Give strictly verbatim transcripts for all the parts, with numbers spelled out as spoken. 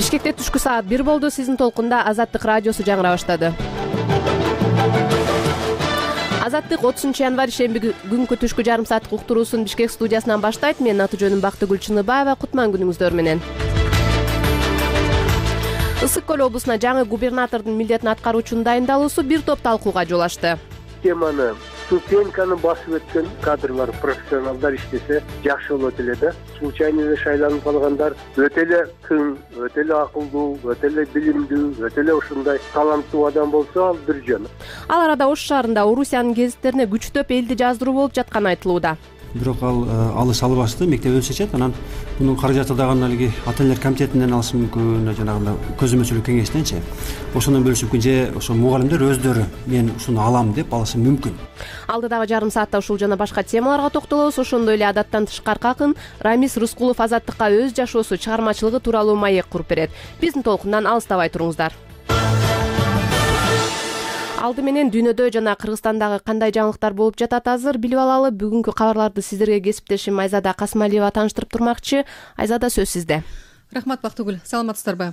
Бишкекте түшкү саат бир болду. Сиздин толкунда Азаттык радиосу жаңыра баштады. Азаттык отузунчу январь шемби күнкү түшкү жарым сааттык уктуруусун Бишкек студиясынан баштайт. Менин аты жөнүм Бактыгүл Чыныбаева. Кутман күнүңүздөр менен. Ысык көл облусуна жаңы губернатордун милдетин аткаруучунун дайындалуусу бир топ талкууга жол ачты. Теманы ступеньканы басып өткөн кадрлар, профессионалдар иштесе жакшы болот эле да. Случайно эле шайланып калгандар өтө эле тың, өтө эле акылдуу, өтө эле билимдүү, өтө эле ушундай таланттуу адам болсо ал бир жөн. Ал арада Ош шаарында Орусиянын гезиттерине күчтөп элди жаздыруу болуп жатканы айтылууда. Бирок ал алыс албашты мектебин чечет. Анан мунун каражаты дагы алиги ата энелер комитетинен алышы мүмкүн, жанагындай көзөмөлчүлүк кеңештенчи. Ошондон бөлүшүп мүмкүн, же ошо мугалимдер өздөрү мен ушуну алам деп алышы мүмкүн. Алдыдагы жарым саатта ушул жана башка темаларга токтолобуз. Ошондой эле адаттан тышкары акын Рамис Рыскулов Азаттыкка өз жашоосу, чыгармачылыгы тууралуу маек куруп берет. Биздин толкундан алыстабай туруңуздар. Алды менен дүйнөдө жана Кыргызстандагы кандай жаңылыктар болуп жатат азыр билип алалы. Бүгүнкү кабарларды сиздерге кесиптешим Айзада Касмалиева тааныштырып турмакчы. Айзада, сөз сизде. Рахмат, Бактыгүл. Саламатсыздарбы?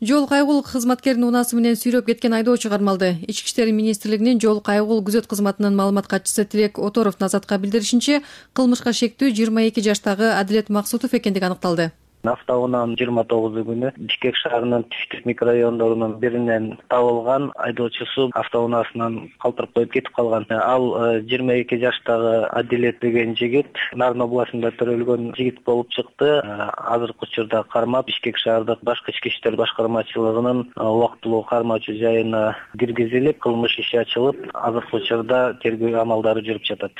Жол кайгул кызматкеринин унаасы менен сүйрөп кеткен айдоочу кармалды. Ички иштер министрлигинин жол кайгул күзөт кызматынын маалымат катчысы Тилек Оторов Назатка билдиришинче, кылмышка шектүү жыйырма эки жаштагы Адилет Максутов экендиги аныкталды. Автоунаанын жыйырма тогузу күнү Бишкек шаарынын түштүк микрорайондорунун биринен табылган. Айдоочусу автоунаасынан калтырып коюп кетип калган. Ал жыйырма эки жаштагы Адилет деген жигит Нарын областында төрөлгөн жигит болуп чыкты. Азыркы учурда кармап Бишкек шаардык башкы ички иштер башкармачылыгынын убактылуу кармоочу жайына киргизилип, кылмыш иши ачылып, азыркы учурда тергөө амалдары жүрүп жатат,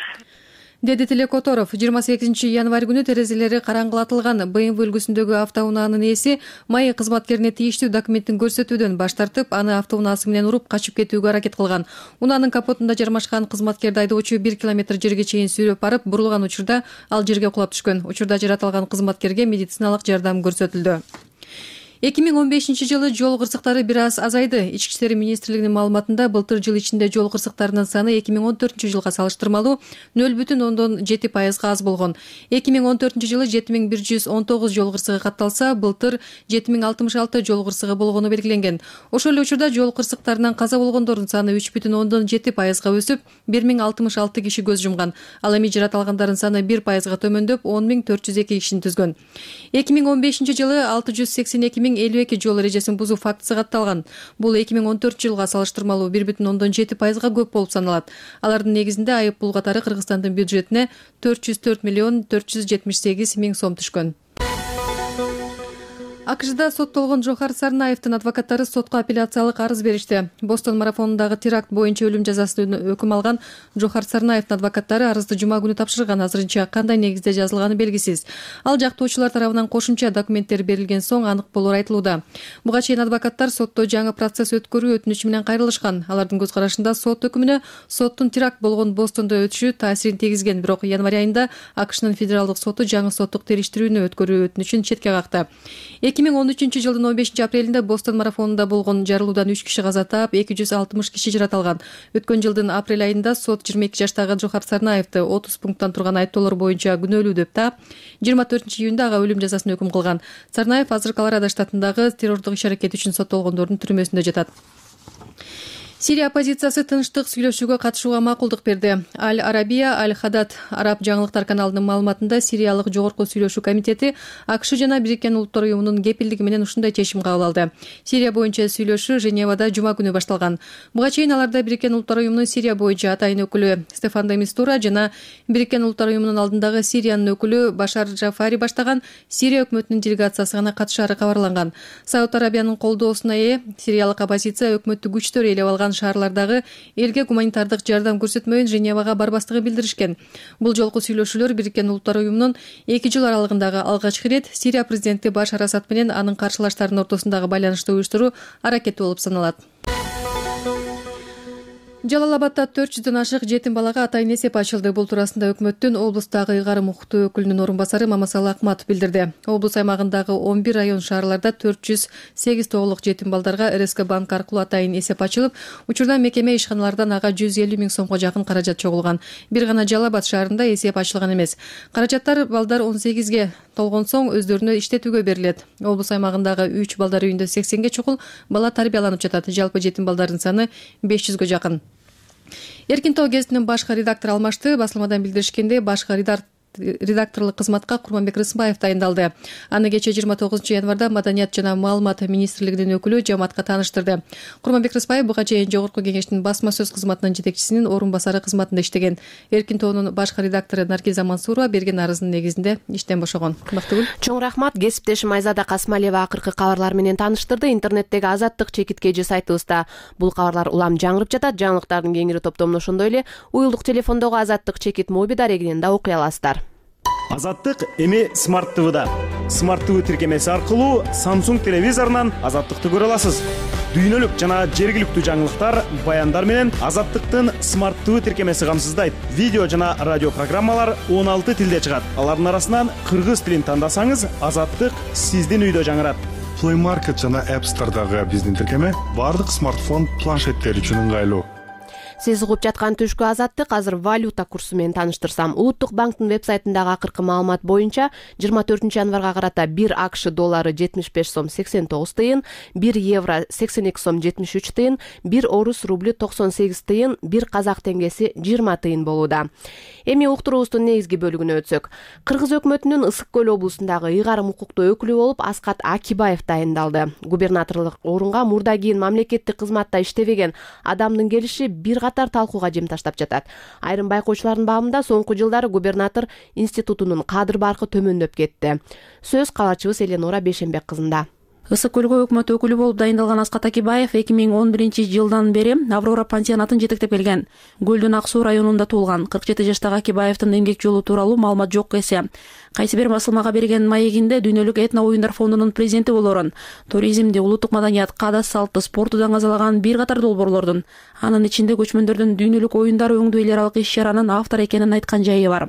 деди Тилек Оторов. жыйырма сегизинчи январь күнү терезелери караңгылатылган бэ эм вэ үлгүсүндөгү автоунаанын ээси маек кызматкерине тийиштүү документтин көрсөтүүдөн баш тартып, аны автоунаасы менен уруп качып кетүүгө аракет кылган. Унаанын капотунда жармашкан кызматкерди айдоочу бир километр жерге чейин сүйрөп барып, бурулган учурда ал жерге кулап түшкөн. Учурда жаратылган кызматкерге медициналык жардам көрсөтүлдү. эки миң он бешинчи жылы жол кырсыктары бир аз азайды. Ички иштер министрлигинин маалыматында былтыр жыл ичинде жол кырсыктарынын саны эки миң он төртүнчү жылга салыштырмалуу нөл бүтүн ондон жети пайызга аз болгон. эки миң он төртүнчү жылы жети миң бир жүз он тогуз жол кырсыгы катталса, былтыр жети миң алтымыш алты жол кырсыгы болгону белгиленген. Ошол эле учурда жол кырсыктарынан каза болгондордун саны үч бүтүн ондон жети пайызга өсүп, бир миң алтымыш алты киши көз жумган. Ал эми жаратылгандардын саны бир пайызга төмөндөп, он миң төрт жүз эки кишини түзгөн. эки миң он бешинчи жылы алты жүз сексен эки миң элүү эки жол эрежесин бузуу фактысы катталган. Бул эки миң он төртүнчү жылга салыштырмалуу бир бүтүн ондон жети пайызга көп болуп саналат. Алардын негизинде айып пул катары Кыргызстандын бюджетине төрт жүз төрт миллион төрт жүз жетимиш сегиз миң сом түшкөн. АКШда соттолгон Жохар Сарнаевдин адвокаттары сотко апелляциялык арыз беришти. Бостон марафонундагы теракт боюнча өлүм жазасын өкүм алган Жохар Сарнаевдин адвокаттары арызды жума күнү тапшырган. Азырынча кандай негизде жазылганы белгисиз. Ал жактоочулар тарабынан кошумча документтер берилген соң анык болор айтылууда. Буга чейин адвокаттар сотто жаңы процесс өткөрүү өтүнүчү менен кайрылышкан. Алардын көз карашында сот өкүмүнө соттун теракт болгон Бостондо өтүшү таасирин тийгизген. Бирок январь айында АКШнын федералдык соту жаңы соттук териштирүүнү өткөрүү өтүнүчүн четке какты. эки миң он үчүнчү жылдын он бешинчи апрелинде Бостон марафонунда болгон жарылуудан үч киши каза таап, эки жүз алтымыш киши жаратылган. Өткөн жылдын апрель айында сот жыйырма эки жаштагы Жохар Сарнаевди отуз пункттан турган айыптоолор боюнча күнөөлүү деп таап, жыйырма төртүнчү июнда ага өлүм жазасын өкүм кылган. Сарнаев азыр Колорадо штатындагы террордук иш-аракет үчүн соттолгондордун түрмөсүндө жатат. Сирия оппозициясы тынчтык сүйлөшүүгө катышууга макулдук берди. Аль-Арабия, Аль-Хадад араб жаңылыктар каналынын маалыматында Сириялык жогорку сүйлөшүү комитети АКШ жана Бириккен Улуттар уюмунун кепилдиги менен ушундай чечим кабыл алды. Сирия боюнча сүйлөшүү Женевада жума күнү башталган. Буга чейин аларда Бириккен Улуттар уюмунун Сирия боюнча атайын өкүлү Стефан де Мистура жана Бириккен Улуттар уюмунун алдындагы Сириянын өкүлү Башар Джафари баштаган Сирия өкмөтүнүн делегациясы гана катышаары кабарланган. Сауд Арабиянын колдоосуна ээ Сириялык оппозиция өкмөттү күчтөр ээлеп алган шаарлардагы элге гуманитардык жардам көрсөтмөйүн Женевага барбастыгы билдиришкен. Бул жолку сүйлөшүүлөр Бириккен Улуттар уюмунун эки жыл аралыгындагы алгачкы ирет Сирия президенти Башар Асад менен анын каршылаштарынын ортосундагы байланышты уюштуруу аракети болуп саналат. Жалал Абадда төрт жүздөн ашык жетим балага атайын эсеп ачылды. Бул туурасында өкмөттүн облустагы ыйгарым укуктуу өкүлүнүн орун басары Мамасалы Акматов билдирди. Облус аймагындагы он бир район шаарларда төрт жүз сегиз тоголук жетим балдарга эр эс ка банк аркылуу атайын эсеп ачылып, учурда мекеме ишканалардан ага жүз элүү миң сомго жакын каражат чогулган. Бир гана Жалал Абад шаарында эсеп ачылган эмес. Каражаттар балдар он сегизге толгон соң өздөрүнө иштетүүгө берилет. Облус аймагындагы үч балдар үйүндө сексенге чукул бала тарбияланып жатат. Жалпы жетим балдардын саны беш жүзгө жакын. Эркин тоо гезитинин башкы редактору алмашты. Басылмадан билдиришкендей, башкы редакторлук кызматка Курманбек Рысымбаев дайындалды. Аны кечээ жыйырма тогузунчу январда Маданият жана маалымат министрлигинин өкүлү жамаатка тааныштырды. Курманбек Рысымбаев буга чейин Жогорку кеңештин басма сөз кызматынын жетекчисинин орун басары кызматында иштеген. Эркин тоонун башкы редактору Наргиза Мансурова берген арызынын негизинде иштен бошогон. Бактыгүл. Чоң рахмат. Кесиптешим Айзада Касмалиева акыркы кабарлар менен тааныштырды. Интернеттеги Азаттык чекит кежи сайтыбызда бул кабарлар улам жаңырып жатат. Жаңылыктардын кеңири топтомун ошондой эле уюлдук телефондогу Азаттык чекит моби дарегинен да окуй аласыздар. Азаттык эми Смарт ТВда. Смарт ТВ тиркемеси аркылуу Samsung телевизорунан Азаттыкты көрө аласыз. Дүйнөлүк жана жергиликтүү жаңылыктар, баяндар менен Азаттыктын Смарт ТВ тиркемеси камсыздайт. Видео жана радио программалар он алты тилде чыгат. Алардын арасынан кыргыз тилин тандасаңыз, Азаттык сиздин үйдө жаңырат. Play Market жана App Store'дагы биздин тиркеме бардык смартфон планшеттер үчүн ыңгайлуу. Сиз угуп жаткан түшкү Азаттык. Азыр валюта курсу менен тааныштырсам, Улуттук банктын вебсайтындагы акыркы маалымат боюнча жыйырма төртүнчү январга карата бир АКШ доллары жетимиш беш сом сексен тогуз тыйын, бир евро сексен эки сом жетимиш үч тыйын, бир орус рублю токсон сегиз тыйын, бир казак теңгеси жыйырма тыйын болууда. Эми уктуруубуздун негизги бөлүгүнө өтсөк. Кыргыз өкмөтүнүн Ысык көл облусундагы ыйгарым укуктуу өкүлү болуп Аскат Акибаев дайындалды. Губернаторлук орунга мурда кийин мамлекеттик кызматта иштебеген адамдын келиши бир катар талкууга жем таштап жатат. Айрым байкоочулардын баамында соңку жылдары губернатор институтунун кадыр баркы төмөндөп кетти. Сөз кабарчыбыз Эленора Бешенбек кызында. Ысык көлгө өкмөт өкүлү болуп дайындалган Аскат Акибаев эки миң он биринчи жылдан бери Аврора пансионатын жетектеп келген. Көлдүн Ак суу районунда туулган. кырк жети жаштагы Акибаевдин эмгек жолу тууралуу маалымат жок эсе. Кайсы бир басылмага берген маегинде дүйнөлүк этно оюндар фондунун президенти болорун, туризмди, улуттук маданият, каада салтты, спорту даңазалаган бир катар долбоорлордун, анын ичинде көчмөндөрдүн дүйнөлүк оюндар өңдүү эл аралык иш-чаранын автору экенин айткан жайы бар.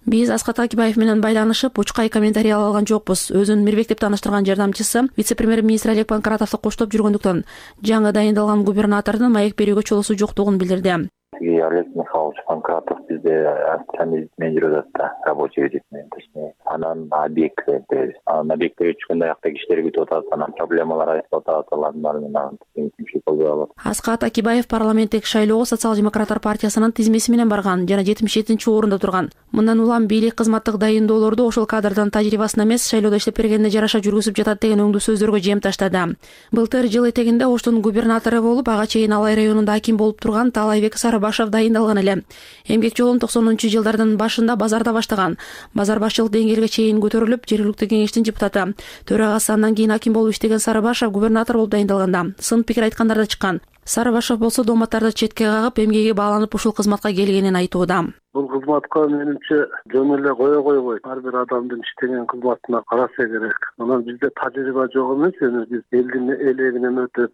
Биз Аскат Акибаев менен байланышып, учкай комментарий ала алган жокпуз. Өзүн Мирбек деп тааныштырган жардамчысы вице-премьер-министр Олег Панкратовду коштоп жүргөндүктөн жаңы дайындалган губернатордун маек берүүгө чолосу жоктугун билдирди. Олег Михайлович Панкратов бизде официальный вице менеджер да рабочий вице точнее. Анан объект беребиз. Анан объектке чыкканда аяктагы кишилер күтүп атат, анан проблемалар айтып атат, алардын баарын кеңешимчилик кылып алат. Аскат Акибаев парламенттик шайлоого Социал-демократтар партиясынын тизмеси менен барган жана жетимиш жетинчи орунда турган. Мындан улам бийлик кызматтык дайындоолорду ошол кадрдын тажрыйбасына эмес, шайлоодо иштеп бергенине жараша жүргүзүп жатат деген өңдүү сөздөргө жем таштады. Былтыр жыл этегинде Оштун губернатору болуп, ага чейин Алай районунда аким болуп турган Таалайбек Сарыбашев дайындалган эле. Эмгек жолун токсонунчу жылдардын башында базарда баштаган. Базар башчылык деңгээлге чейин көтөрүлүп, жергиликтүү кеңештин депутаты, төрагасы, андан кийин аким болуп иштеген Сарыбашев губернатор болуп дайындалганда сын пикир айткандар да чыккан. Сарыбашев болсо дооматтарды четке кагып, эмгеги бааланып ушул кызматка келгенин айтууда. Бул кызматка менимче жөн эле кое койбой, ар бир адамдын иштеген кызматына караса керек. Анан бизде тажрыйба жок эмес, эми биз элдин элегинен өтүп,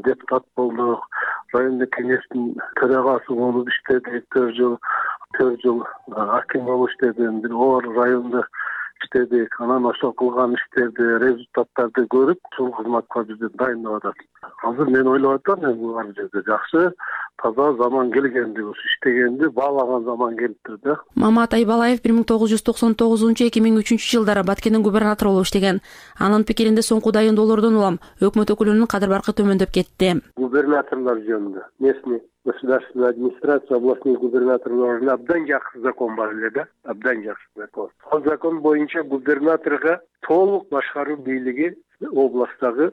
депутат болдук, райондук кеңештин төрагасы болуп иштедик, төрт жыл, төрт жыл аким болуп иштедим, бир оор райондо иштедик. Анан ошол кылган иштерди, результаттарды көрүп, ушул кызматка бизди дайындап атат. Азыр мен ойлоп атам, бул ар жерде жакшы, таза заман келгенди, ушу иштегенди баалаган заман келиптир да. Мамат Айбалаев бир миң тогуз жүз токсон тогузунчу эки миң үчүнчү жылдары Баткендин губернатору болуп иштеген. Анын пикиринде соңку дайындоолордон улам өкмөт өкүлүнүн кадыр баркы төмөндөп кетти. Губернаторлор жөнүндө местный государственная администрация, областных губернаторлорун абдан жакшы закон бар эле да, абдан жакшы закон. Ал закон боюнча губернаторго толук башкаруу бийлиги областтагы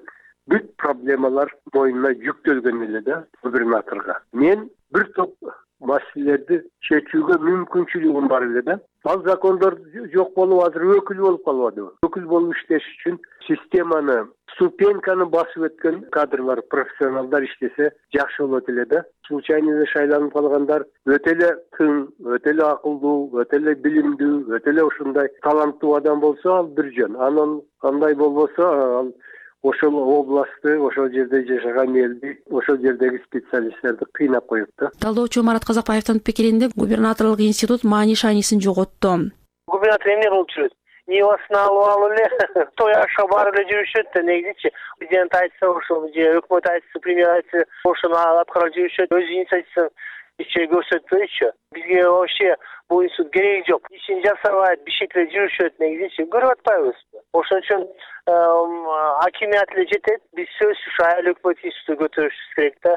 бүт проблемалар мойнуна жүктөлгөн эле да губернаторго. Мен бир топ маселелерди чечүүгө мүмкүнчүлүгүм бар эле да. Ал закондор жок болуп азыр өкүл болуп калбадыбы? Өкүл болуп иштеш үчүн системаны, ступеньканы басып өткөн кадрлар, профессионалдар иштесе жакшы болот эле да. Случайно шайланып калгандар өтө эле тың, өтө эле акылдуу, өтө эле билимдүү, өтө эле ушундай таланттуу адам болсо ал бир жөн. Анан кандай болбосо ал ошол областты, ошол жерде жашаган элди, ошол жердеги специалисттерди кыйнап коюпту. Талдоочу Марат Казакбаевдин пикиринде губернаторлук институт маани шаанисин жоготту. Губернатор эмне кылып жүрөт? Нивасын алып алып эле той ашка барып эле жүрүшөт да, негизичи президент айтса ошол же өкмөт айтса, премьер айтса ошону аткарып жүрүшөт, өз инициативасын иче көрсөтпөйчү. Бизге вообще бул институт кереги жок. Ишин жасабайт, бишекте жүрүшөт, негизичи көрүп атпайбызбы? Ошон үчүн акимият эле жетет. Биз сөзсүз ушу айыл өкмөт институту көтөрүшүбүз керек да.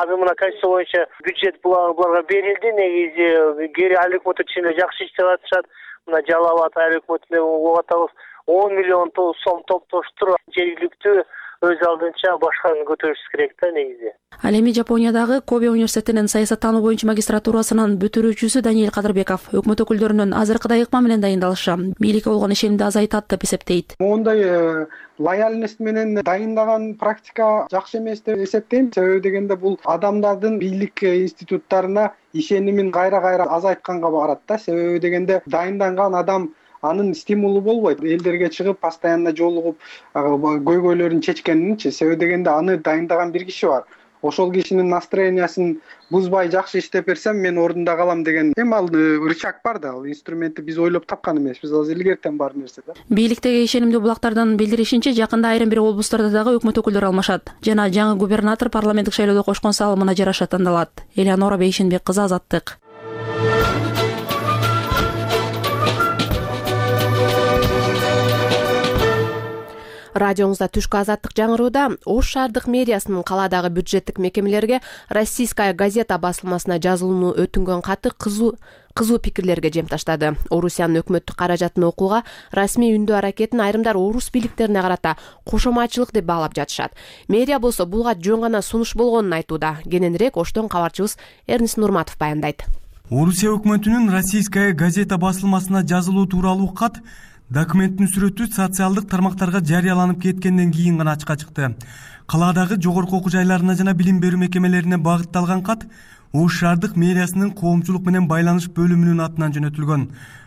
Азыр мына конституция боюнча бюджет буларга берилди, негизи кери айыл өкмөттөр чын эле жакшы иштеп атышат. Мына Жалал Ата айыл өкмөтүнө угуп атабыз. он миллион сом топтоштуруп жергиликтүү өз алдынча башкарууну көтөрүшүбүз керек да, негизи. Ал эми Жапониядагы Кобе университетинин саясаттануу боюнча магистратурасынын бүтүрүүчүсү Даниэль Кадырбеков өкмөт өкүлдөрүнүн азыркыдай ыкма менен дайындалышы бийликке болгон ишенимди азайтат деп эсептейт. Мондай лояльность менен дайындаган практика жакшы эмес деп эсептейм. Себеби дегенде бул адамдардын бийлик институттарына ишенимин кайра-кайра азайтканга барат да. Себеби дегенде дайынданган адам анын стимулу болбойт. Элдерге чыгып, постоянно жолугуп, көйгөйлөрүн чечкенинчи. Себеби дегенде аны дайындаган бир киши бар. Ошол кишинин настроениясын бузбай жакшы иштеп берсем, мен ордунда калам деген эми ал рычаг бар да, ал инструментти биз ойлоп тапкан эмеспиз, ал илгертен бар нерсе да. Бийликтеги ишенимдүү булактардын билдиришинче, жакында айрым бир облустарда дагы өкмөт өкүлдөрү алмашат жана жаңы губернатор парламенттик шайлоодо кошкон салымына жараша тандалат. Элеонора Бейшенбек кызы, Азаттык. Радиоңузда түшкү Азаттык жаңырууда. Ош шаардык мэриясынын калаадагы бюджеттик мекемелерге Российская газета басылмасына жазылууну өтүнгөн каты кызуу кызуу пикирлерге жем таштады. Орусиянын өкмөттүк каражатын окууга расмий үндөө аракетин айрымдар орус бийликтерине карата кошоматчылык деп баалап жатышат. Мэрия болсо булга жөн гана сунуш болгонун айтууда. Кененирээк Оштон кабарчыбыз Эрнис Нурматов баяндайт. Орусия өкмөтүнүн Российская газета басылмасына жазылуу тууралуу кат документтин сүрөтү социалдык тармактарга жарыяланып кеткенден кийин гана ачыкка чыкты. Калаадагы жогорку окуу жайларына жана билим берүү мекемелерине багытталган кат Ош шаардык мэриясынын коомчулук менен байланыш бөлүмүнүн атынан жөнөтүлгөн.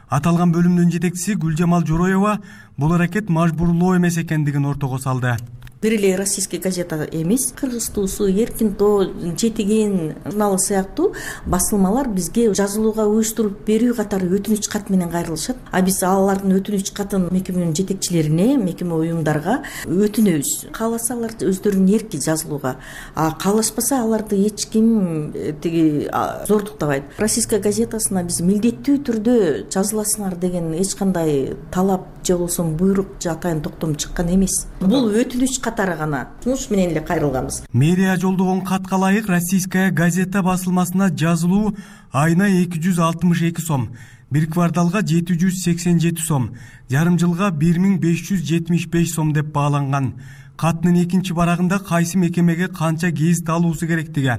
Аталган бөлүмдүн жетекчиси Гүлжамал Жороева бул аракет мажбурлоо эмес экендигин ортого салды. Бир эле Российская газета эмес, Кыргыз туусу, Эркин тоо, Жетиген журналы сыяктуу басылмалар бизге жазылууга уюштуруп берүү катары өтүнүч кат менен кайрылышат. А биз алардын өтүнүч катын мекеменин жетекчилерине, мекеме уюмдарга өтүнөбүз. Кааласалар өздөрүнүн эрки жазылууга, а каалашпаса аларды эч ким тиги зордуктабайт. Российская газетасына биз милдеттүү түрдө жазыласыңар деген эч кандай талап же болбосо буйрук же атайын токтом чыккан эмес. Бул өтүнүч катары гана сунуш менен эле кайрылганбыз. Мэрия жолдогон катка ылайык Российская газета басылмасына жазылуу айына эки жүз алтымыш эки сом, бир кварталга жети жүз сексен жети сом, жарым жылга бир миң беш жүз жетимиш беш сом деп бааланган. Каттын экинчи барагында кайсы мекемеге канча гезит алуусу керектиги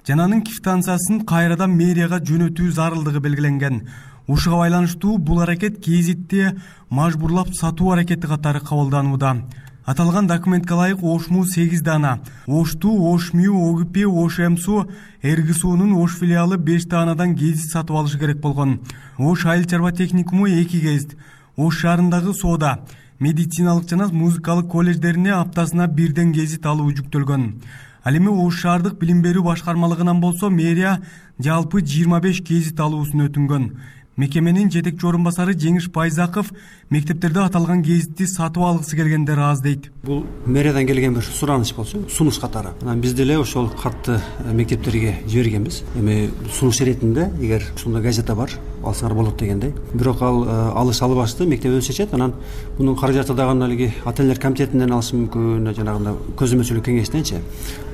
жана анын квитанциясын кайрадан мэрияга жөнөтүү зарылдыгы белгиленген. Ушуга байланыштуу бул аракет гезитти мажбурлап сатуу аракети катары кабылданууда. Аталган документке ылайык Ошму сегиз дана, Ошту, Ошмю, Огипи, Ошемсу, Эргисуунун Ош филиалы беш данадан гезит сатып алышы керек болгон. Ош айыл чарба техникуму эки гезит, Ош шаарындагы соода, медициналык жана музыкалык колледждерине аптасына бирден гезит алуу жүктөлгөн. Ал эми Ош шаардык билим берүү башкармалыгынан болсо мэрия жалпы жыйырма беш гезит алуусун өтүнгөн. Мекеменин жетекчи орун басары Жеңиш Байзаков мектептерде аталган гезитти сатып алгысы келгендер аз дейт. Бул мэриядан келген бир сураныч болчу, сунуш катары. Анан биз деле ошол катты мектептерге жибергенбиз. Эми сунуш иретинде эгер ушундай газета бар, алсаңар болот дегендей. Бирок ал алыш албашты, мектеп өз чечет. Анан мунун каражаты дагы алиги ата-энелер комитетинен алышы мүмкүн, жанагындай көзөмөлчүлүк кеңештенчи.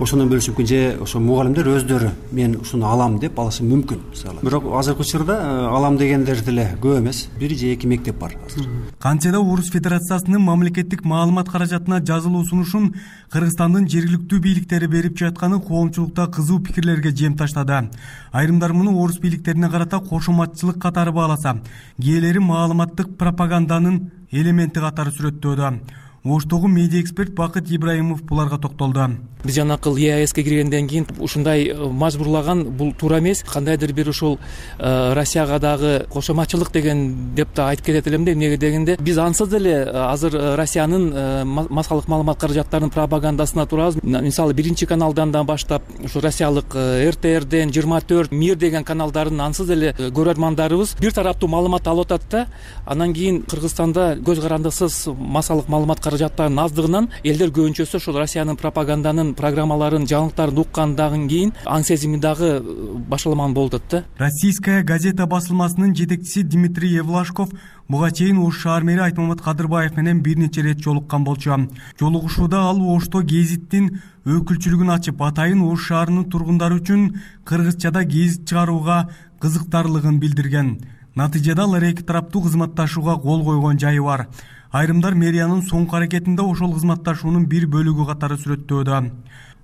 Ошондон бөлүшү мүмкүн же ошо мугалимдер өздөрү мен ушуну алам деп алышы мүмкүн. Бирок азыркы учурда алам дегендер деле көп эмес. Бир же эки мектеп бар азыр. Кантсе да Орус Федерациясынын мамлекеттик маалымат каражатына жазылуу сунушун Кыргызстандын жергиликтүү бийликтери берип жатканы коомчулукта кызуу пикирлерге жем таштады. Айрымдар муну орус бийликтерине карата кошоматчылык катары бааласа, кээделери маалыматтык пропаганданын элементи катары сүрөттөөдө. оштогу медиа эксперт Бакыт Ибраимов буларга токтолду. Биз жанакыл е а эске киргенден кийин ушундай мажбурлаган бул туура эмес. Кандайдыр бир ушул Россияга дагы кошомачылык деген деп да айтып кетет элем да. Эмнеге дегенде биз ансыз деле азыр Россиянын массалык маалымат каражаттарынын пропагандасына турабыз. Мисалы биринчи каналдан да баштап ушу россиялык эр тэ эрден жыйырма төрт мир деген каналдарын ансыз деле көрөрмандарыбыз бир тараптуу маалымат алып атат да. Анан кийин Кыргызстанда көз карандысыз массалык маалымат каражаттарынын аздыгынан элдер көбүнчөсү ушул Россиянын пропаганданын программаларын, жаңылыктарын уккандан кийин аң сезими дагы башаламан болуп атат да. Российская газета басылмасынын жетекчиси Дмитрий Евлашков буга чейин Ош шаар мэри Айтмамат Кадырбаев менен бир нече ирет жолуккан болчу. Жолугушууда ал Ошто гезиттин өкүлчүлүгүн ачып, атайын Ош шаарынын тургундары үчүн кыргызчада гезит чыгарууга кызыктарлыгын билдирген. Натыйжада алар эки тараптуу кызматташууга кол койгон жайы бар. Айрымдар мэриянын соңку аракетинде ошол кызматташуунун бир бөлүгү катары сүрөттөөдө.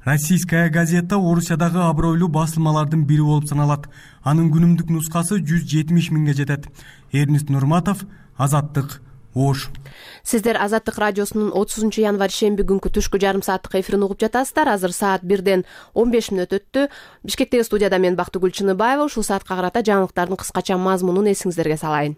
Российская газета Орусиядагы абройлуу басылмалардын бири болуп саналат. Анын күнүмдүк нускасы жүз жетимиш миңге жетет. Эрнист Нурматов, Азаттык, Ош. Сиздер Азаттык радиосунун отузунчу январь шемби күнкү түшкү жарым сааттык эфирин угуп жатасыздар. Азыр саат бирден он беш мүнөт өттү. Бишкектеги студияда мен Бактыгүл Чыныбаева. Ушул саатка карата жаңылыктардын кыскача мазмунун эсиңиздерге салайын.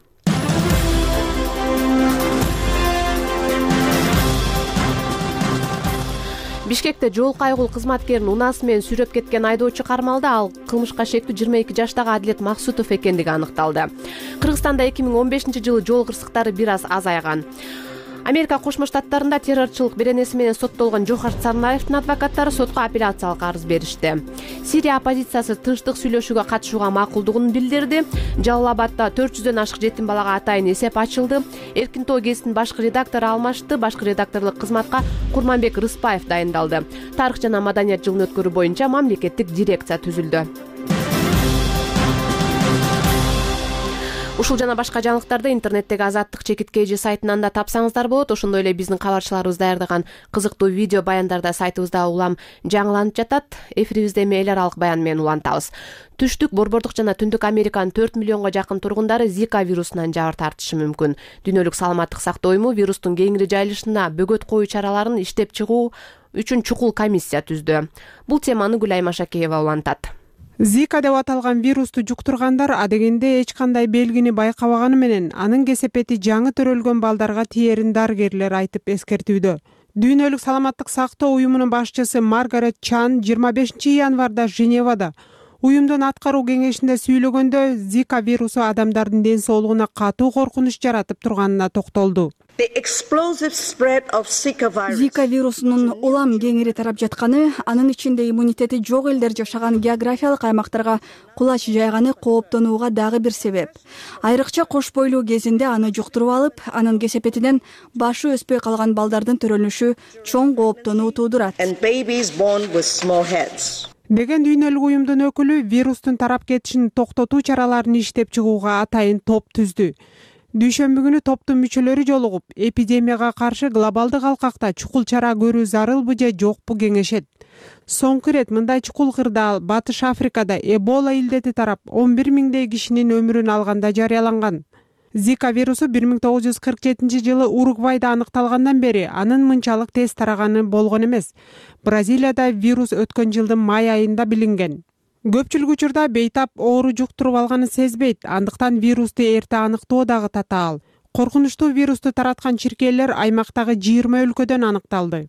Бишкекте жол кайгул кызматкерин унаасы менен сүйрөп кеткен айдоочу кармалды. Ал кылмышка шектүү жыйырма эки жаштагы Адилет Максутов экендиги аныкталды. Кыргызстанда эки миң он бешинчи жылы жол кырсыктары бир аз азайган. Америка Кошмо Штаттарында террорчулук беренеси менен соттолгон Жохар Сарнаевдин адвокаттары сотко апелляциялык арыз беришти. Сирия оппозициясы тынчтык сүйлөшүүгө катышууга макулдугун билдирди. Жалал Абадда төрт жүздөн ашык жетим балага атайын эсеп ачылды. Эркин тоо гезитинин башкы редактору алмашты. Башкы редакторлук кызматка Курманбек Рыспаев дайындалды. Тарых жана маданият жылын өткөрүү боюнча мамлекеттик дирекция түзүлдү. Ушул жана башка жаңылыктарды интернеттеги Азаттык чекит kg сайтынан да тапсаңыздар болот. Ошондой эле биздин кабарчыларыбыз даярдаган кызыктуу видео баяндарда сайтыбызда улам жаңыланып жатат. Эфирибизде эми эл аралык баян менен улантабыз. Түштүк, Борбордук жана Түндүк Американын төрт миллионго жакын тургундары Зика вирусунан жабыр тартышы мүмкүн. Дүйнөлүк саламаттык сактоо уюму вирустун кеңири жайылышына бөгөт коюу чараларын иштеп чыгуу үчүн чукул комиссия түздү. Бул теманы Гүлай Машакеева улантат. Зика деп аталган вирусту жуктургандар адегенде эч кандай белгини байкабаганы менен анын кесепети жаңы төрөлгөн балдарга тиерин дарыгерлер айтып эскертүүдө. Дүйнөлүк саламаттык сактоо уюмунун башчысы Маргарет Чан жыйырма бешинчи январда Женевада уюмдун аткаруу кеңешинде сүйлөгөндө Зика вирусу адамдардын ден соолугуна катуу коркунуч жаратып турганына токтолду. Зика вирусунун улам кеңири тарап жатканы, анын ичинде иммунитети жок элдер жашаган географиялык аймактарга кулач жайганы кооптонууга дагы бир себеп. Айрыкча кош бойлуу кезинде аны жуктуруп алып, анын кесепетинен башы өспөй калган балдардын төрөлүшү чоң кооптонуу туудурат. Деген дүйнөлүк уюмдун өкүлү вирустун тарап кетишин токтотуу чараларын иштеп чыгууга атайын топ түздү. Дүйшөмбү күнү топтун мүчөлөрү жолугуп, эпидемияга каршы глобалдык алкакта чукул чара көрүү зарылбы же жокпу кеңешет. Соңку ирет мындай чукул кырдаал Батыш Африкада Эбола илдети тарап он бир миңдей кишинин өмүрүн алганда жарыяланган. Зика вирусу бир миң тогуз жүз кырк жетинчи жылы Уругвайда аныкталгандан бери анын мынчалык тез тараганы болгон эмес. Бразилияда вирус өткөн жылдын май айында билинген. Көпчүлүк учурда бейтап оору жуктуруп алганын сезбейт, андыктан вирусту эрте аныктоо дагы татаал. Коркунучтуу вирусту тараткан чиркейлер аймактагы жыйырма өлкөдөн аныкталды.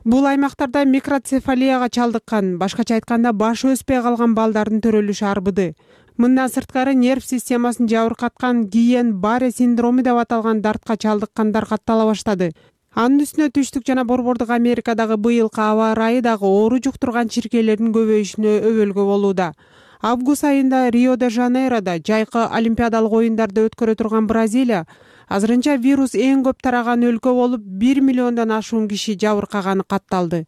Бул аймактарда микроцефалияга чалдыккан, башкача айтканда башы өспөй калган балдардын төрөлүшү арбыды. Мындан сырткары нерв системасын жабыркаткан Гийен-Барре синдрому деп аталган дартка чалдыккандар каттала баштады. Анын үстүнө Түштүк жана Борбордук Америкадагы быйылкы аба ырайы дагы оору жуктурган чиркейлердин көбөйүшүнө өбөлгө болууда. Август айында Рио-де-Жанейрода жайкы олимпиадалык оюндарды өткөрө турган Бразилия азырынча вирус эң көп тараган өлкө болуп, бир миллиондон ашуун киши жабыркаганы катталды.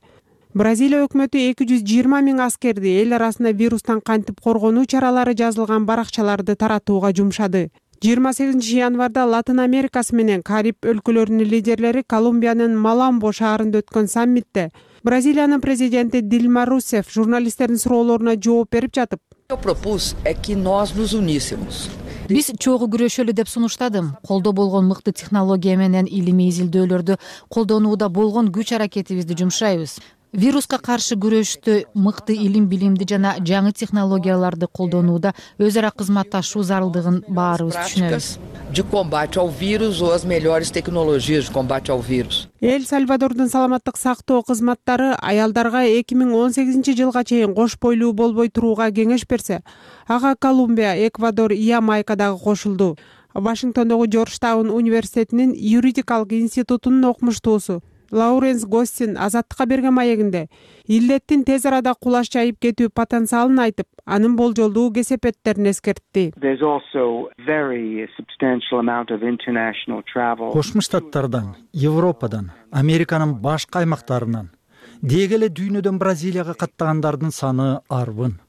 Бразилия өкмөтү эки жүз жыйырма миң аскерди эл арасында вирустан кантип коргонуу чаралары жазылган баракчаларды таратууга жумшады. жыйырма сегизинчи январда Латын Америкасы менен Кариб өлкөлөрүнүн лидерлери Колумбиянын Маламбо шаарында өткөн саммитте Бразилиянын президенти Дилма Русеф журналисттердин суроолоруна жооп берип жатып, биз чогуу күрөшөлү деп сунуштадым. Колдо болгон мыкты технология менен илимий изилдөөлөрдү колдонууда болгон күч аракетибизди жумшайбыз. Вируска каршы күрөштө мыкты илим билимди жана жаңы технологияларды колдонууда өз ара кызматташуу зарылдыгын баарыбыз түшүнөбүз. De combate ao vírus ou as melhores tecnologias de combate ao vírus. Эл Сальвадордун саламаттык сактоо кызматтары аялдарга эки миң он сегизинчи жылга чейин кош бойлуу болбой турууга кеңеш берсе, ага Колумбия, Эквадор, Ямайка дагы кошулду. Вашингтондогу Джорджтаун университетинин юридикалык институтунун окумуштуусу Лауренс Гостин Азаттыкка берген маегинде илдеттин тез арада кулаш жайып кетүү потенциалын айтып, анын болжолдуу кесепеттерин эскертти. Кошмо Штаттардан, Европадан, Американын башка аймактарынан, деги эле дүйнөдөн Бразилияга каттагандардын саны арбын.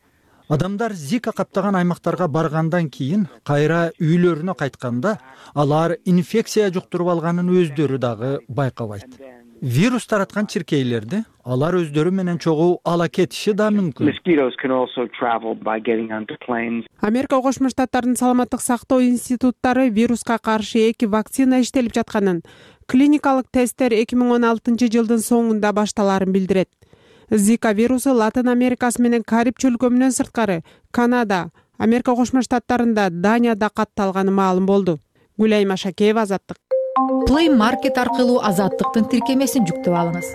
Адамдар Зика каптаган аймактарга баргандан кийин кайра үйлөрүнө кайтканда, алар инфекция жуктуруп алганын өздөрү дагы байкабайт. Вирус тараткан чиркейлерди алар өздөрү менен чогуу ала кетиши да мүмкүн. Америка Кошмо Штаттарынын саламаттык сактоо институттары вируска каршы эки вакцина иштелип жатканын, клиникалык тесттер эки миң он алтынчы жылдын соңунда башталаарын билдирет. Зика вирусу Латын Америкасы менен Кариб чөлкөмүнөн сырткары Канада, Америка Кошмо Штаттарында, Данияда катталганы маалым болду. Гүлайма Шакеева, Азаттык. Play Market аркылуу Азаттыктын тиркемесин жүктөп алыңыз.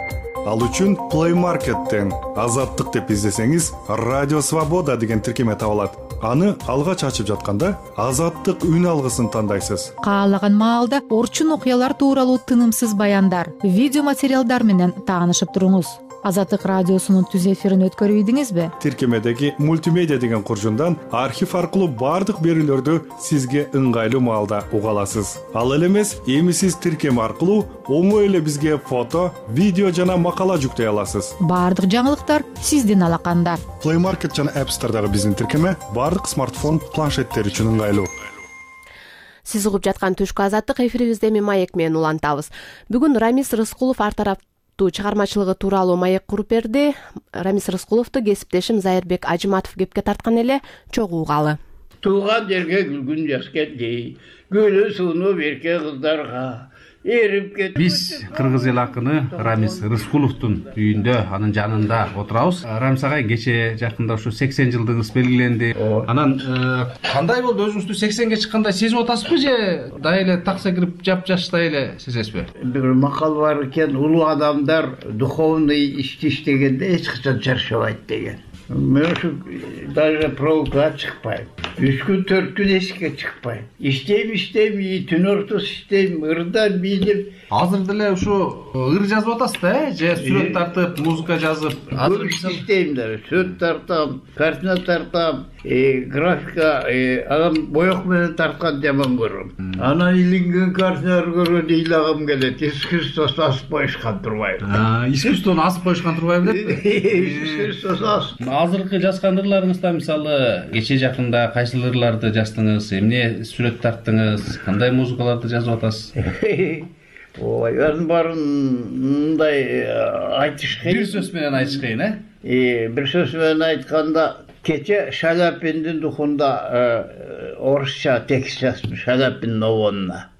Ал үчүн Play Market'тен Азаттык деп издесеңиз, Радио Свобода деген тиркеме табылат. Аны алгач ачып жатканда Азаттык үн алгысын тандайсыз. Каалаган маалда орчун окуялар тууралуу тынымсыз баяндар, видео материалдар менен таанышып туруңуз. Азаттык радиосунун түз эфирин өткөрүп ийдиңизби? Тиркемедеги мультимедиа деген куржундан архив аркылуу бардык берүүлөрдү сизге ыңгайлуу маалда уга аласыз. Ал эле эмес, эми сиз тиркеме аркылуу оңой эле бизге фото, видео жана макала жүктөй аласыз. Бардык жаңылыктар сиздин алаканда. Play Market жана App Store'дагы биздин тиркеме бардык смартфон, планшеттер үчүн ыңгайлуу. Сиз угуп жаткан түшкү Азаттык эфирибизде эми маек менен улантабыз. Бүгүн Рамис Рыскулов ар тарап чыгармачылыгы тууралуу маек куруп берди. Рамис Рыскуловду кесиптешим Зайырбек Ажыматов кепке тарткан эле, чогуу угалы. Тууган жерге күлгүн жаш келди, гүлү сууну берке кыздарга эрип кетти. Биз кыргыз эл акыны Рамис Рыскуловдун үйүндө, анын жанында отурабыз. Рамис агай, кече жакында ушу сексен жылдыгыңыз белгиленди. Анан кандай болду, өзүңүздү сексенге чыккандай сезип атасызбы же дай эле такса кирип жап-жаштай эле сезесизби? Бир макал бар экен, улуу адамдар духовный ишти иштегенде эч качан чарчабайт деген. Мен ушу даже проводка чыкпайм. Үч күн, төрт күн эшикке чыкпайм. Иштейм, иштейм, түн ортосу иштейм, ырдан бийлеп. Азыр деле ушу ыр жазып атасыз да, э? Же сүрөт тартып, музыка жазып? Азыр иштейм да, сүрөт тартам, картина тартам, графика, анан боек менен тарткан жаман көрөм. Анан илинген картиналар көргөндө ыйлагым келет. Искусствосу асып коюшкан турбайбы? Искусствону асып коюшкан турбайбы деп? Искусствосу асып. Азыркы жазган ырларыңызда мисалы кече жакында кайсы ырларды жаздыңыз, эмне сүрөт тарттыңыз, кандай музыкаларды жазып атасыз? Ой, анын баарын мындай айтыш кыйын. Бир сөз менен айтыш кыйын, э? Э, бир сөз менен айтканда, кече Шаляпиндин духунда орусча текст жазып, Шаляпиндин обонуна.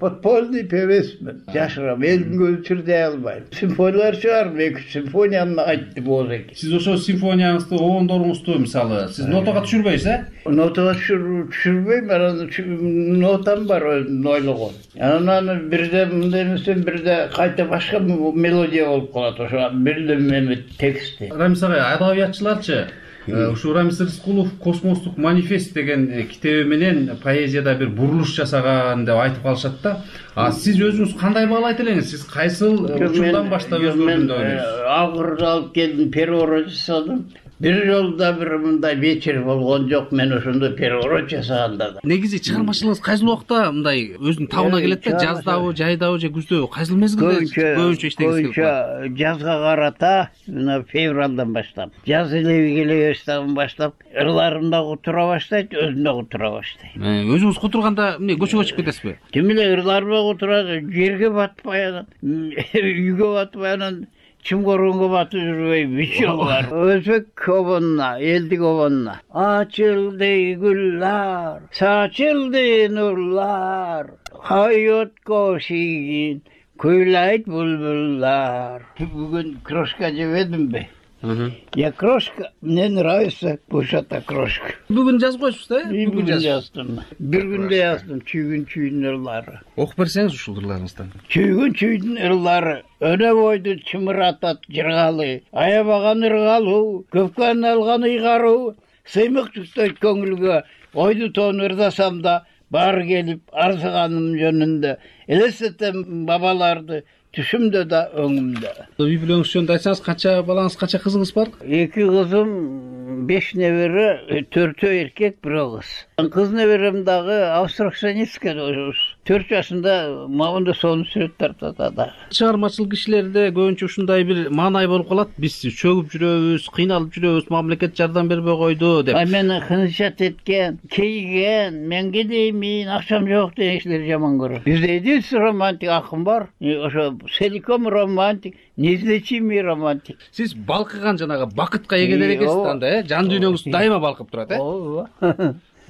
Подпольный певецмин. Жашырам, элдин көзүн чырдай албайм. Симфониялар чыгарып, эки симфонияны айтты болду экен. Сиз ошо симфонияңызды, обондоруңузду мисалы, сиз нотага түшүрбөйсүз, э? Нотага түшүрбөйм, анан нотам бар өзүм ойлогон. Анан бирде мындай эместен бирде кайта башка мелодия болуп калат, ошо бирде эме тексти. Рамис агай, адабиятчыларчы ушу Рамис Рыскулов Космостук манифест деген китеби менен поэзияда бир бурулуш жасаган деп айтып калышат да. А сиз өзүңүз кандай баалайт элеңиз? Сиз кайсыл учурдан баштап өздөрүндө ойнойсуз? Агырды алып келдим, переворот жасадым. бир жолу да бир мындай вечер болгон жок. Мен ошондо переворот жасаганда да. Негизи чыгармачылыгыңыз кайсыл убакта мындай өзүнүн табына келет да? Жаздабы, жайдабы же күздө? Кайсыл мезгилде көбүнчө иштегиңиз келип калат? Жазга карата мына февралдан баштап, жаз элеби келе баштап ырларымда кутура баштайт, өзүм да кутура баштайм. Өзүңүз кутурганда эмне көчөгө чыгып кетесизби? Тим эле ырларыма кутурат, жерге батпай анан, үйгө батпай анан чым коргонго батып жүрбөй бүт жолу бар. Өзбек обонуна, элдик обонуна. Ачылды гүллар, сачылды нурлар, hayotko шийгин kuylайт булбуллар. Бүгүн крошка жебедимби? Я крошка, мне нравится бушата крошка. Бүгүн жазып коесуз да? Бүгүн жаздым. Бир күндө жаздым чүйгүн чүйдүн ырлары. Окуп берсеңиз ушул ырларыңыздан. Чүйгүн чүйдүн ырлары өнө бойду чымыратат жыргалы, аябаган ыргалуу, көпкөн алган ыйгаруу, сыймык түстөйт көңүлгө, ойду тоон ырдасам да бар келип арзыганым жөнүндө, элестетем бабаларды түшүмдө да өңүмдө. Үй бүлөңүз жөнүндө айтсаңыз, канча балаңыз, канча кызыңыз бар? Эки кызым, беш небере, төртөө эркек, бирөө кыз. Кыз неберем дагы абстракционистке төрт жашында мабында сонун сүрөт тартат ада. Чыгармачылык ишлерде көбүнчө ушундай бир маанай болуп калат. Биз чөгүп жүрөбүз, кыйналып жүрөбүз, мамлекет жардам бербей койду деп. Ай мени кынычат эткен, кейген, мен кедеймин, акчам жок деген кишилерди жаман көрөм. Бизде единственный романтик акын бар. Ошо целиком романтик, неизлечимый романтик. Сиз балкыган жанагы бакытка эгедер экенсиз анда, э? Жан дүйнөңүз дайыма балкып турат, э? Ооба.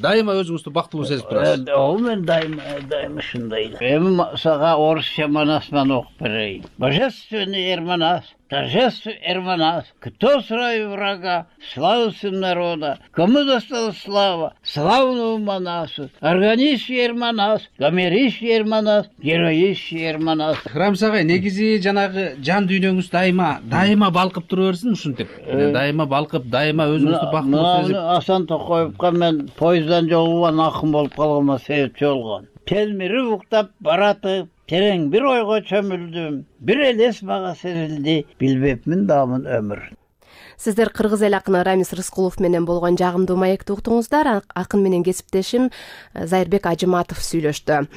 Дайыма өзүңүздү бактылуу сезип турасыз. Ооба, мен дайыма, дайыма ушундай. Эми сага орусча манасынан окуп берейин. Божественный Эрманас, торжественный Эрманас, кто срай врага, славу сын народа, кому досталась слава, славному Манасу, органищий Эрманас, гомерищий Эрманас, героищий Эрманас. Рамис агай, негизи жанагы жан дүйнөңүз дайыма, дайыма балкып тура берсин ушинтип. Дайыма балкып, дайыма өзүңүздү бактылуу сезип. Асан Токоевго мен поезддан жолуган акын болуп калгыма себепчи болгон. Телмири уктап баратып, терең бир ойго чөмүлдүм, бир элес мага серилди, билбепмин даамын өмүр. Сиздер кыргыз эл акыны Рамис Рыскулов менен болгон жагымдуу маекти уктуңуздар. Акын менен кесиптешим Зайырбек Ажыматов сүйлөштү.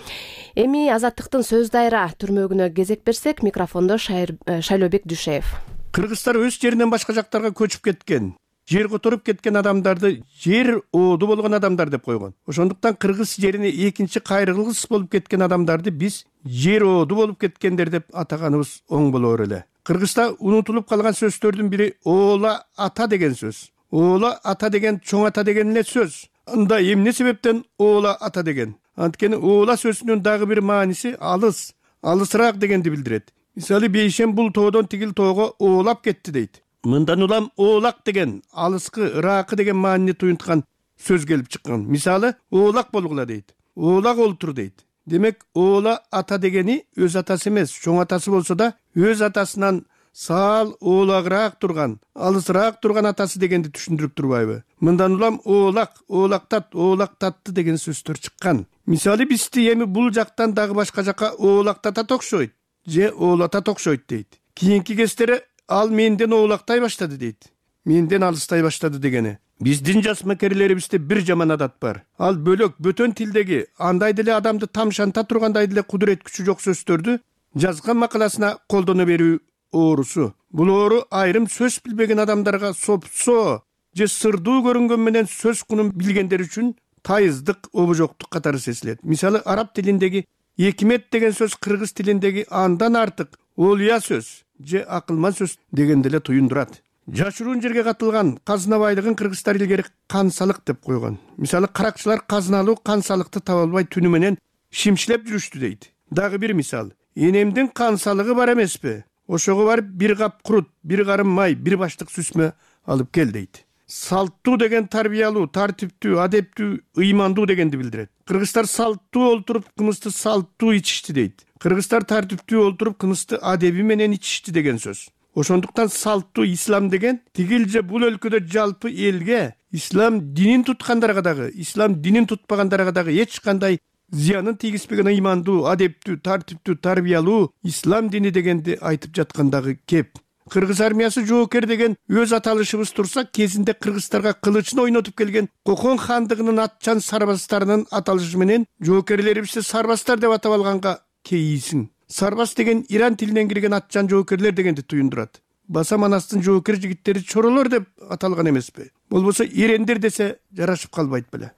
Эми Азаттыктын сөз дайра түрмөгүнө кезек берсек, микрофондо Шайлообек Дүйшеев. Кыргызстар өз жеринен башка жактарга көчүп кеткен, жер которуп кеткен адамдарды жер ооду болгон адамдар деп койгон. Ошондуктан кыргыз жерине экинчи кайрылгыс болуп кеткен адамдарды биз жер ооду болуп кеткендер деп атаганыбыз оң болор эле. Кыргызда унутулуп калган сөздөрдүн бири оола ата деген сөз. Оола ата деген чоң ата деген эле сөз. Анда эмне себептен оола ата деген? Анткени оола сөзүнүн дагы бир мааниси алыс, алысыраак дегенди билдирет. Мисалы, бейшем бул тоодон тигил тоого оолап кетти дейт. Мындан улам оолак деген алыскы, ыракы деген маанини туюнткан сөз келип чыккан. Мисалы, оолак болгула дейт. Оолак олтур дейт. Демек, оола ата дегени өз атасы эмес, чоң атасы болсо да, өз атасынан саал оолагыраак турган, алысыраак турган атасы дегенди түшүндүрүп турбайбы? Мындан улам оолак, оолактат, оолактатты деген сөздөр чыккан. Мисалы, бизди эми бул жактан дагы башка жака оолактатат окшойт, же оолатат окшойт дейт. Кийинки кездери ал менден оолактай баштады дейт. Менден алыстай баштады дегени. Биздин жас мекерлерибизде бир жаман адат бар. Ал бөлөк бөтөн тилдеги андай деле адамды тамшанта тургандай деле кудурет күчү жок сөздөрдү жазган макаласына колдоно берүү оорусу. Бул оору айрым сөз билбеген адамдарга сопсо же сырдуу көрүнгөн менен сөз кунун билгендер үчүн тайыздык, обожоктук катары сезилет. Мисалы, араб тилиндеги экимет деген сөз кыргыз тилиндеги андан артык олуя сөз же акылман сөз деген деле туюндурат. Жашыруун жерге катылган казына байлыгын кыргыздар илгери кансалык деп койгон. Мисалы, каракчылар казыналуу кансалыкты таба албай түнү менен шимшилеп жүрүштү дейт. Дагы бир мисал. Энемдин кансалыгы бар эмеспи? Ошого барып бир кап курут, бир карым май, бир баштык сүзмө алып кел дейт. Салттуу деген тарбиялуу, тартиптүү, адептүү, ыймандуу дегенди билдирет. Кыргыздар салттуу олтуруп, кымызды салттуу ичишти дейт. Кыргыздар тартиптүү олтуруп, кымызды адеби менен ичишти деген сөз. Ошондуктан салттуу ислам деген тигил же бул өлкөдө жалпы элге, ислам динин туткандарга дагы, ислам динин тутпагандарга дагы эч кандай зыянын тийгизбеген ыймандуу, адептүү, тартиптүү, тарбиялуу ислам дини дегенди айтып жаткандагы кеп. кыргыз армиясы жоокер деген өз аталышыбыз турса, кезинде кыргыздарга кылычын ойнотуп келген Кокон хандыгынын атчан сарбаздарынын аталышы менен жоокерлерибизди сарбаздар деп атап алганга кейисиң. Сарбаз деген Иран тилинен кирген атчан жоокерлер дегенди туюндурат. Баса Манастын жоокер жигиттери чоролор деп аталган эмеспи? Болбосо ирендер десе жарашып калбайт беле.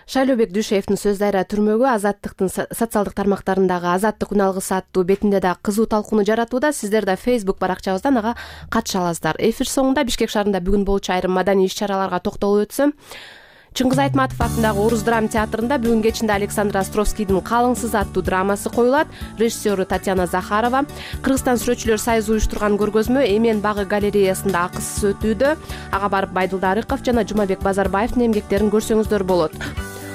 Шайлообек Дүйшеевдин сөздөрү түрмөгү Азаттыктын социалдык тармактарындагы Азаттык күн алгысы аттуу бетинде да кызуу талкууну жаратууда. Сиздер да Facebook баракчабыздан ага катыша аласыздар. Эфир соңунда Бишкек шаарында бүгүн болчу айрым маданий иш-чараларга токтолуп өтсөм, Чыңгыз Айтматов атындагы Орус драма театрында бүгүн кечинде Александр Островскийдин Калыңсыз аттуу драмасы коюлат. Режиссеру Татьяна Захарова. Кыргызстан сүрөтчүлөр союзу уюштурган көргөзмө Эмен багы галереясында акысыз өтүүдө. Ага барып Байдылда Арыков жана Жумабек Базарбаевдин эмгектерин көрсөңүздөр болот.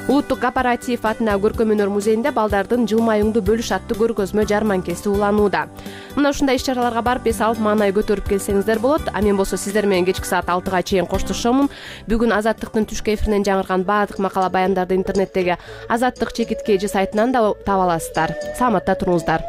Улуттук кооператив атындагы көркөм өнөр музейинде балдардын жылмаюңду бөлүш аттуу көргөзмө жарманкеси уланууда. Мына ушундай иш-чараларга барып эс алып маанай көтөрүп келсеңиздер болот. А мен болсо сиздер менен кечки саат алтыга чейин коштошомун. Бүгүн Азаттыктын түшкү эфиринен жаңырган баардык макала баяндарды интернеттеги Азаттык чекит кж сайтынан да таба аласыздар. Саламатта туруңуздар.